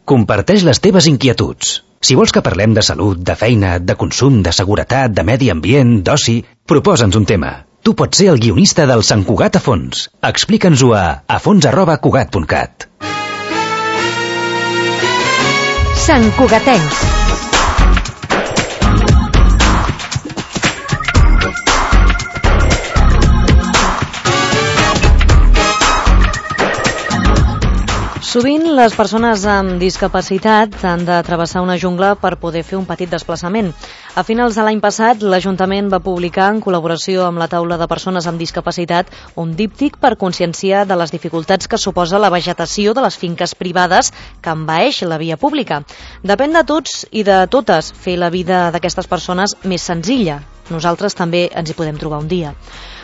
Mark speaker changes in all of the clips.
Speaker 1: Comparteix les teves inquietuds. Si vols que parlem de salut, de feina, de consum, de seguretat, de medi ambient, d'oci, proposa'ns un tema. Tu pots ser el guionista del Sant Cugat a fons. Explica'ns-ho a afons@cugat.cat.
Speaker 2: Sant Cugatencs. Sovint les persones amb discapacitat han de travessar una jungla per poder fer un petit desplaçament. A finals de l'any passat, l'Ajuntament va publicar, en col·laboració amb la taula de persones amb discapacitat, un díptic per conscienciar de les dificultats que suposa la vegetació de les finques privades que envaeix la via pública. Depèn de tots i de totes fer la vida d'aquestes persones més senzilla. Nosaltres també ens hi podem trobar un dia.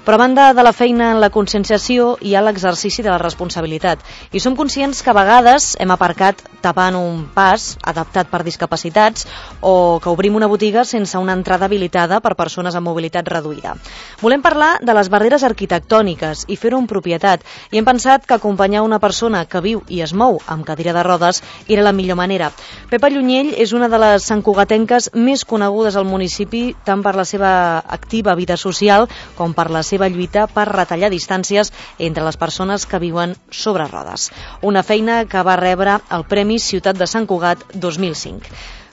Speaker 2: Però a banda de la feina en la conscienciació hi ha l'exercici de la responsabilitat. I som conscients que a vegades hem aparcat tapant un pas adaptat per discapacitats o que obrim una botiga sense una entrada habilitada per persones amb mobilitat reduïda. Volem parlar de les barreres arquitectòniques i fer-ho en propietat. I hem pensat que acompanyar una persona que viu i es mou amb cadira de rodes era la millor manera. Pepa Llunyell és una de les santcugatenques més conegudes al municipi tant per la seva activa vida social com per la seva lluita per retallar distàncies entre les persones que viuen sobre rodes. Una feina que va rebre el Premi Ciutat de Sant Cugat 2005.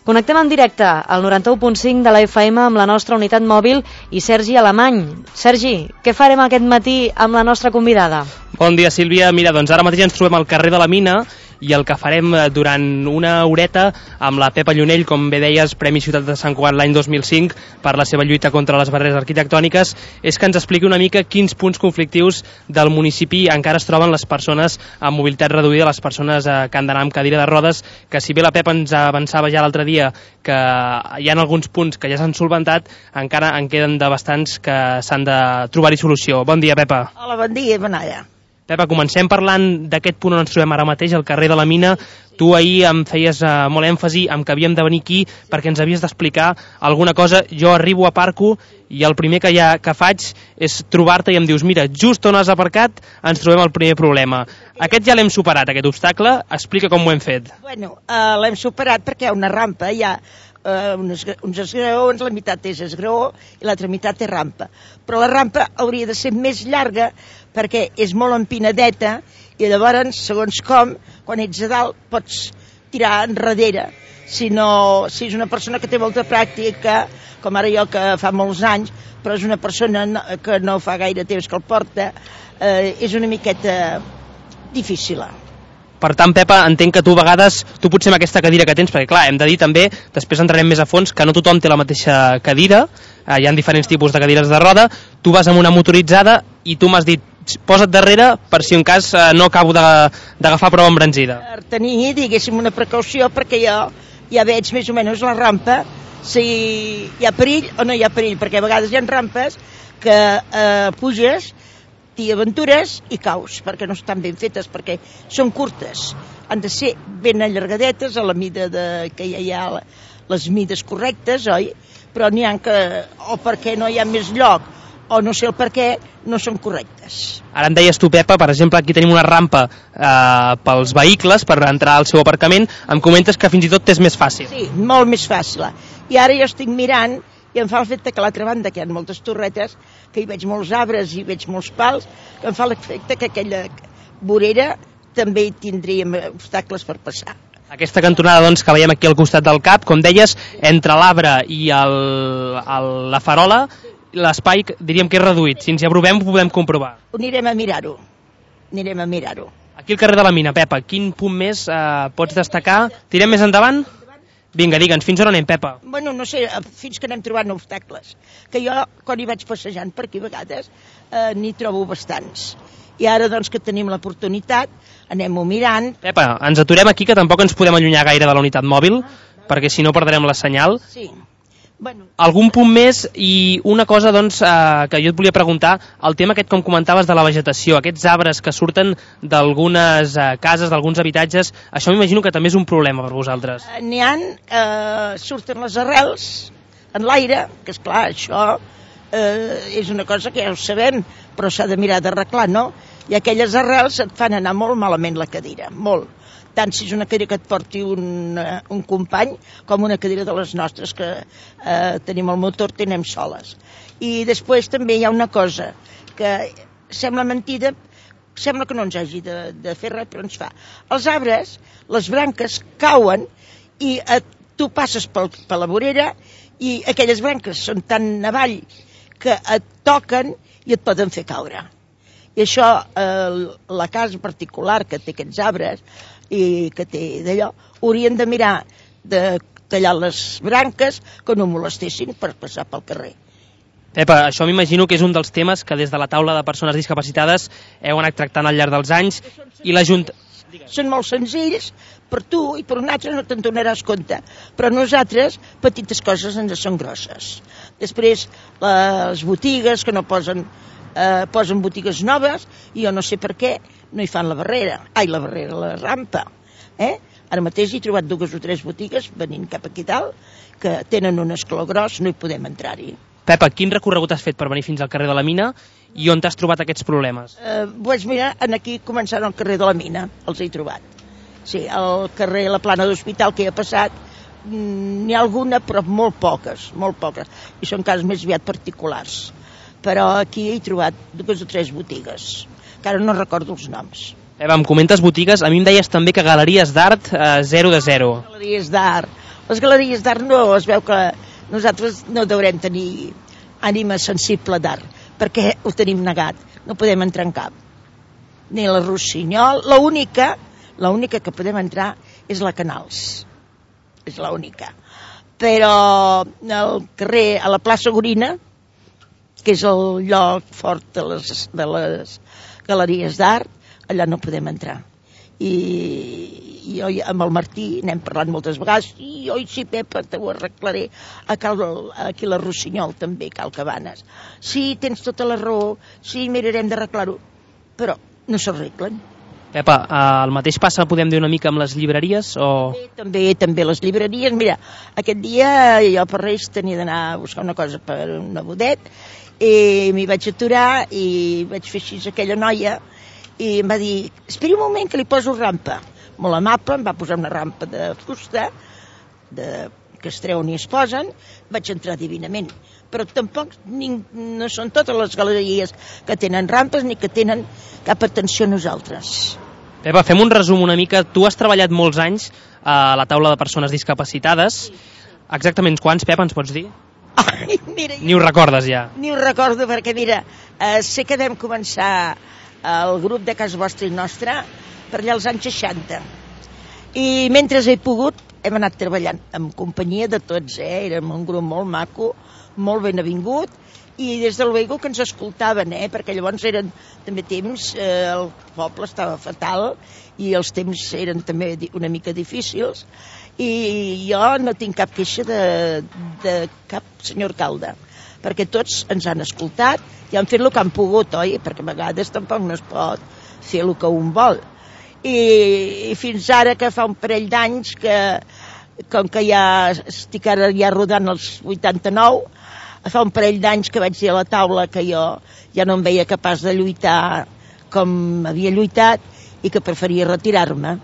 Speaker 2: Connectem en directe al 91.5 de la FM amb la nostra unitat mòbil i Sergi Alemany. Sergi, què farem aquest matí amb la nostra convidada?
Speaker 3: Bon dia, Sílvia. Mira, doncs ara mateix ens trobem al carrer de la Mina i el que farem durant una horeta amb la Pepa Llunyell, com bé deies, Premi Ciutat de Sant Cugat l'any 2005 per la seva lluita contra les barreres arquitectòniques, és que ens expliqui una mica quins punts conflictius del municipi encara es troben les persones amb mobilitat reduïda, les persones que han d'anar amb cadira de rodes, que si bé la Pepa ens avançava ja l'altre dia que hi ha alguns punts que ja s'han solventat, encara en queden de bastants que s'han de trobar-hi solució. Bon dia, Pepa.
Speaker 4: Hola, bon dia, Benalla.
Speaker 3: Pepa, comencem parlant d'aquest punt on ens trobem ara mateix, al carrer de la Mina. Tu ahir em feies molt èmfasi en que havíem de venir aquí perquè ens havies d'explicar alguna cosa. Jo arribo, aparco i el primer que faig és trobar-te i em dius, mira, just on has aparcat ens trobem el primer problema. Aquest ja l'hem superat, aquest obstacle. Explica com ho hem fet.
Speaker 4: Bueno, l'hem superat perquè hi ha una rampa, hi ha uns esgraons, la meitat és esgraó i l'altra meitat és rampa. Però la rampa hauria de ser més llarga perquè és molt empinadeta i llavors, segons com, quan ets a dalt pots tirar enrere. Si és una persona que té molta pràctica, com ara jo que fa molts anys, però és una persona que no fa gaire temps que el porta, és una miqueta difícil.
Speaker 3: Per tant, Pepa, entenc que tu a vegades, tu potser amb aquesta cadira que tens, perquè clar, hem de dir també, després entrarem més a fons, que no tothom té la mateixa cadira, hi ha diferents tipus de cadires de roda, tu vas amb una motoritzada i tu m'has dit, posa't darrere per si en cas no acabo d'agafar prou embranzida.
Speaker 4: Per tenir, diguéssim, una precaució, perquè jo ja veig més o menys la rampa, si hi ha perill o no hi ha perill, perquè a vegades hi ha rampes que puges, t'hi aventures i caus, perquè no estan ben fetes, perquè són curtes. Han de ser ben allargadetes a la mida que hi ha les mides correctes, oi? Però n'hi ha que, o perquè no hi ha més lloc, o no sé el per què, no són correctes.
Speaker 3: Ara em deies tu, Pepa, per exemple, aquí tenim una rampa pels vehicles per entrar al seu aparcament, em comentes que fins i tot és més fàcil.
Speaker 4: Sí, molt més fàcil. I ara jo estic mirant i em fa el fet que a l'altra banda, que hi ha moltes torretes, que hi veig molts arbres i veig molts pals, que em fa l'efecte que aquella vorera també hi tindríem obstacles per passar.
Speaker 3: Aquesta cantonada doncs, que veiem aquí al costat del CAP, com deies, entre l'arbre i la farola, l'espai diríem que és reduït. Si ens hi aprovem ho podem comprovar.
Speaker 4: Anirem a mirar-ho.
Speaker 3: Aquí al carrer de la Mina, Pepa, quin punt més pots destacar? Tirem més endavant? Vinga, digue'ns, fins on anem, Pepa?
Speaker 4: Bueno, no sé, fins que anem trobant obstacles. Que jo, quan hi vaig passejant per aquí a vegades, n'hi trobo bastants. I ara, doncs, que tenim l'oportunitat, anem-ho mirant.
Speaker 3: Pepa, ens aturem aquí, que tampoc ens podem allunyar gaire de la unitat mòbil, perquè si no perdrem la senyal.
Speaker 4: Sí. Bueno.
Speaker 3: Algun punt més i una cosa doncs, que jo et volia preguntar, el tema aquest com comentaves de la vegetació, aquests arbres que surten d'algunes cases, d'alguns habitatges, això m'imagino que també és un problema per vosaltres.
Speaker 4: N'hi ha, surten les arrels en l'aire, que és clar, això és una cosa que ja ho sabem, però s'ha de mirar d'arreglar, no? I aquelles arrels et fan anar molt malament la cadira, molt. tant si és una cadira que et porti un company com una cadira de les nostres, que tenim el motor, tenim soles. I després també hi ha una cosa que sembla mentida, sembla que no ens hagi de fer res, però ens fa. Els arbres, les branques cauen i tu passes per la vorera i aquelles branques són tan avall que et toquen i et poden fer caure. I això, la casa particular que té aquests arbres i que té d'allò, haurien de mirar de tallar les branques que no molestessin per passar pel carrer.
Speaker 3: Pepa, això m'imagino que és un dels temes que des de la taula de persones discapacitades heu anat tractant al llarg dels anys i
Speaker 4: Són molt senzills, per tu i per un altre no te'n donaràs compte, però nosaltres petites coses ens són grosses. Després les botigues que no posen botigues noves i jo no sé per què no hi fan la rampa. Ara mateix he trobat 2 o 3 botigues venint cap aquí dalt que tenen un escló gros, no hi podem entrar-hi.
Speaker 3: Pepa, quin recorregut has fet per venir fins al carrer de la Mina i on t'has trobat aquests problemes?
Speaker 4: Doncs mira, aquí començant al carrer de la Mina, els he trobat. Sí, al carrer La Plana d'Hospital que hi ha passat, n'hi ha alguna, però molt poques, i són casos més aviat particulars. Però aquí he trobat 2 o 3 botigues, que ara no recordo els noms.
Speaker 3: Pepa, em comentes botigues, a mi em deies també que galeries d'art 0 de 0.
Speaker 4: Galeries d'art. Les galeries d'art no, es veu que nosaltres no deurem tenir ànima sensible d'art, perquè ho tenim negat, no podem entrar en cap. Ni la Rossinyol, l'única que podem entrar és la Canals, és l'única. Però al carrer, a la plaça Gorina, que és el lloc fort de les galeries d'art, allà no podem entrar. I jo amb el Martí n'hem parlat moltes vegades, i oi sí, Pepa, t'ho arreglaré. Aquí a la Rossinyol també, Cal Cabanes. Sí, tens tota la raó, sí, mirarem d'arreglar-ho, però no s'arreglen.
Speaker 3: Pepa, el mateix passa, podem dir una mica amb les llibreries? O...
Speaker 4: També les llibreries. Mira, aquest dia jo per Reis tenia d'anar a buscar una cosa per un nebodet i m'hi vaig aturar i vaig fer així a aquella noia i em va dir, esperi un moment que li poso rampa. Molt amable, em va posar una rampa de fusta que es treuen i es posen, vaig entrar divinament. Però tampoc no són totes les galeries que tenen rampes ni que tenen cap atenció a nosaltres.
Speaker 3: Pepa, fem un resum una mica. Tu has treballat molts anys a la taula de persones discapacitades. Exactament quants, Pepa, ens pots dir?
Speaker 4: Ai, mira,
Speaker 3: ni ho recordes ja?
Speaker 4: Ni ho recordo perquè, mira, sé que vam començar el grup de casa vostra i nostra per allà als anys 60. I mentre he pogut hem anat treballant en companyia de tots, érem un grup molt maco, molt ben avingut, i des del Vego que ens escoltaven, perquè llavors eren també temps, el poble estava fatal i els temps eren també una mica difícils, i jo no tinc cap queixa de cap senyor alcalde, perquè tots ens han escoltat i han fet el que han pogut, oi? Perquè a vegades tampoc no es pot fer el que un vol. I fins ara, que fa un parell d'anys que, com que ja estic ara ja rodant els 89, fa un parell d'anys que vaig dir a la taula que jo ja no em veia capaç de lluitar com havia lluitat i que preferia retirar-me.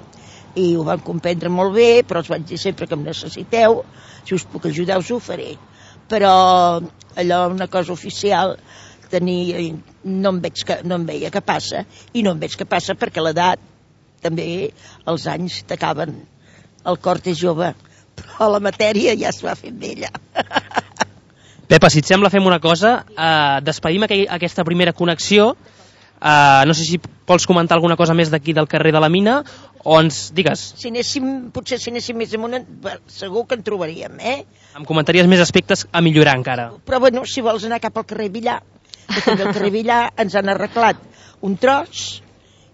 Speaker 4: I ho van comprendre molt bé, però els vaig dir sempre que em necessiteu, si us puc ajudar us ho faré. Però allò, una cosa oficial, no em veia que passa, i no em veig que passa perquè l'edat, també els anys t'acaben. El cor és jove, però la matèria ja es va fent vella.
Speaker 3: Pepa, si et sembla, fem una cosa. Despedim aquesta primera connexió. No sé si vols comentar alguna cosa més d'aquí del carrer de la Mina, o ens digues.
Speaker 4: Potser si anéssim més amunt, segur que en trobaríem,
Speaker 3: Em comentaries més aspectes a millorar encara.
Speaker 4: Però bueno, si vols anar cap al carrer Villar, que també al carrer Villar ens han arreglat un tros,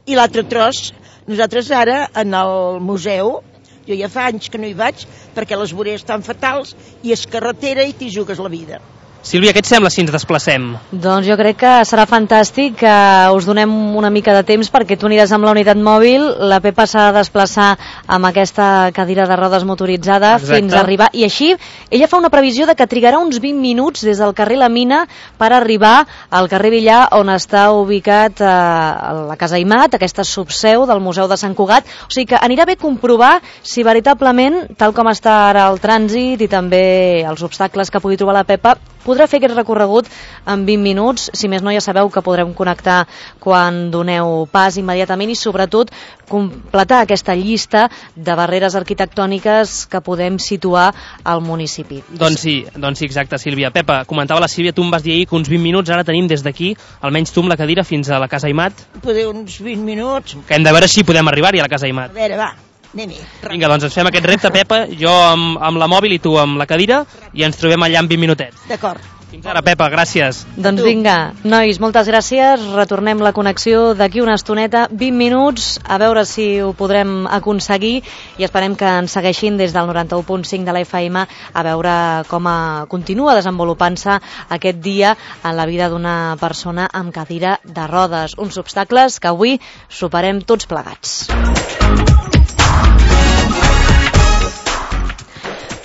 Speaker 4: i l'altre tros, nosaltres ara, en el museu, jo ja fa anys que no hi vaig, perquè les voreres estan fatals, i és carretera i t'hi jugues la vida.
Speaker 3: Sílvia, què et sembla si ens desplacem?
Speaker 2: Doncs jo crec que serà fantàstic que us donem una mica de temps perquè tu aniràs amb la unitat mòbil, la Pepa s'ha de desplaçar amb aquesta cadira de rodes motoritzada fins a arribar, i així ella fa una previsió de que trigarà uns 20 minuts des del carrer La Mina per arribar al carrer Villar, on està ubicat la Casa Aimat, aquesta subseu del Museu de Sant Cugat. O sigui que anirà bé comprovar si veritablement, tal com està ara el trànsit i també els obstacles que pugui trobar la Pepa, podrà fer aquest recorregut en 20 minuts. Si més no, ja sabeu que podrem connectar quan doneu pas immediatament i sobretot completar aquesta llista de barreres arquitectòniques que podem situar al municipi.
Speaker 3: Doncs sí, exacte, Sílvia. Pepa, comentava la Sílvia, tu em vas dir ahir que uns 20 minuts ara tenim des d'aquí, almenys tu amb la cadira, fins a la Casa Aimat.
Speaker 4: Poder uns 20 minuts.
Speaker 3: Que hem de veure si podem arribar-hi a la Casa Aimat.
Speaker 4: A veure, va. Anem-hi.
Speaker 3: Vinga, doncs ens fem aquest repte, Pepa, jo amb la mòbil i tu amb la cadira, i ens trobem allà en 20 minutets.
Speaker 4: D'acord.
Speaker 3: Fins ara, Pepa, gràcies.
Speaker 2: Doncs vinga, nois, moltes gràcies. Retornem la connexió d'aquí una estoneta, 20 minuts, a veure si ho podrem aconseguir, i esperem que ens segueixin des del 91.5 de la FM a veure com continua desenvolupant-se aquest dia en la vida d'una persona amb cadira de rodes. Uns obstacles que avui superem tots plegats.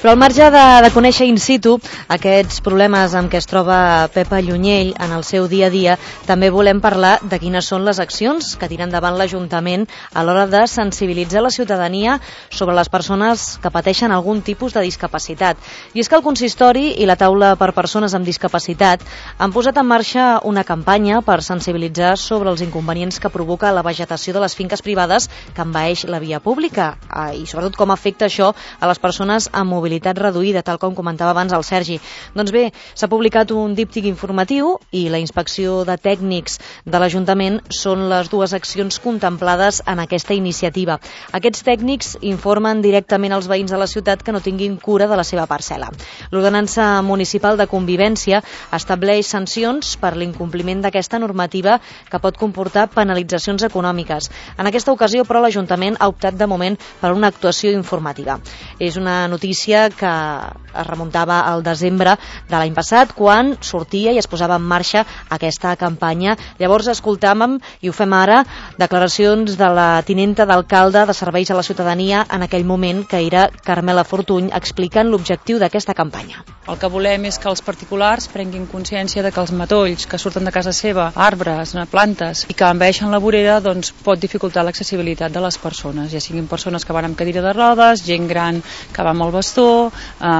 Speaker 2: Però al marge de conèixer in situ aquests problemes amb què es troba Pepa Llunyell en el seu dia a dia, també volem parlar de quines són les accions que tira endavant l'Ajuntament a l'hora de sensibilitzar la ciutadania sobre les persones que pateixen algun tipus de discapacitat. I és que el consistori i la taula per persones amb discapacitat han posat en marxa una campanya per sensibilitzar sobre els inconvenients que provoca la vegetació de les finques privades que envaeix la via pública i sobretot com afecta això a les persones amb mobilitat reduïda, tal com comentava abans el Sergi. Doncs bé, s'ha publicat un díptic informatiu i la inspecció de tècnics de l'Ajuntament són les dues accions contemplades en aquesta iniciativa. Aquests tècnics informen directament als veïns de la ciutat que no tinguin cura de la seva parcel·la. L'Ordenança Municipal de Convivència estableix sancions per l'incompliment d'aquesta normativa que pot comportar penalitzacions econòmiques. En aquesta ocasió, però, l'Ajuntament ha optat de moment per una actuació informativa. És una notícia que es remuntava al desembre de l'any passat, quan sortia i es posava en marxa aquesta campanya. Llavors escoltàvem, i ho fem ara, declaracions de la tinenta d'alcalde de Serveis a la Ciutadania en aquell moment, que era Carmela Fortuny, explicant l'objectiu d'aquesta campanya.
Speaker 5: El que volem és que els particulars prenguin consciència de que els matolls que surten de casa seva, arbres, plantes, i que envaeixen la vorera, doncs pot dificultar l'accessibilitat de les persones, ja siguin persones que van amb cadira de rodes, gent gran que va amb el bastó,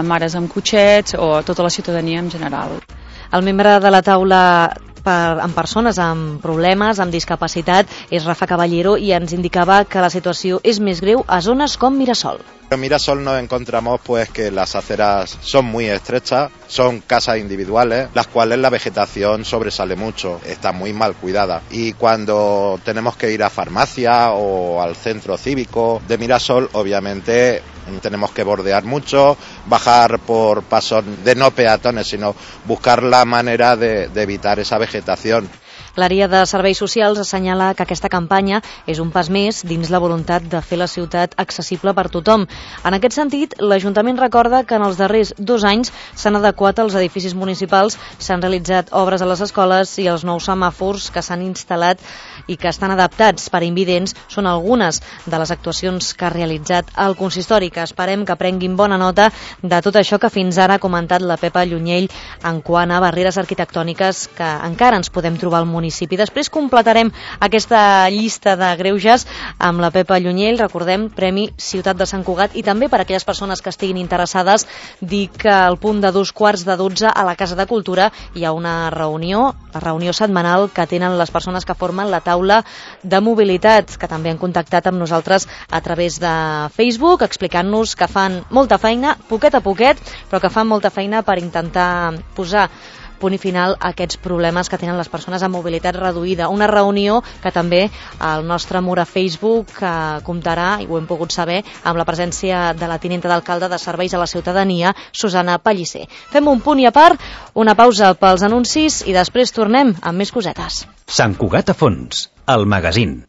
Speaker 5: mares amb cotxets o tota la ciutadania en general.
Speaker 2: El membre de la taula amb persones amb problemes, amb discapacitat, és Rafa Caballero, i ens indicava que la situació és més greu a zones com Mirasol.
Speaker 6: En Mirasol nos encontramos pues que las aceras son muy estrechas, son casas individuales, las cuales la vegetación sobresale mucho, está muy mal cuidada. Y cuando tenemos que ir a farmacia o al centro cívico de Mirasol, obviamente tenemos que bordear mucho, bajar por pasos de no peatones, sino buscar la manera de evitar esa vegetación.
Speaker 2: L'àrea de serveis socials assenyala que aquesta campanya és un pas més dins la voluntat de fer la ciutat accessible per tothom. En aquest sentit, l'Ajuntament recorda que en els darrers 2 anys s'han adequat als edificis municipals, s'han realitzat obres a les escoles i els nous semàfors que s'han instal·lat i que estan adaptats per a invidents són algunes de les actuacions que ha realitzat el consistori, que esperem que prenguin bona nota de tot això que fins ara ha comentat la Pepa Llunyell en quant a barreres arquitectòniques que encara ens podem trobar al municipi. Després completarem aquesta llista de greuges amb la Pepa Llunyell, recordem, Premi Ciutat de Sant Cugat, i també per a aquelles persones que estiguin interessades dir que al punt de 11:45 a la Casa de Cultura hi ha una reunió, la reunió setmanal que tenen les persones que formen la taula de mobilitat, que també han contactat amb nosaltres a través de Facebook, explicant-nos que fan molta feina, poquet a poquet, però que fan molta feina per intentar posar punt i final a aquests problemes que tenen les persones amb mobilitat reduïda. Una reunió que també el nostre mur a Facebook comptarà, i ho hem pogut saber, amb la presència de la tinenta d'alcalde de Serveis a la Ciutadania, Susana Pellicer. Fem un punt i a part, una pausa pels anuncis i després tornem amb més cosetes.
Speaker 1: Sant Cugat a fons, el magazín.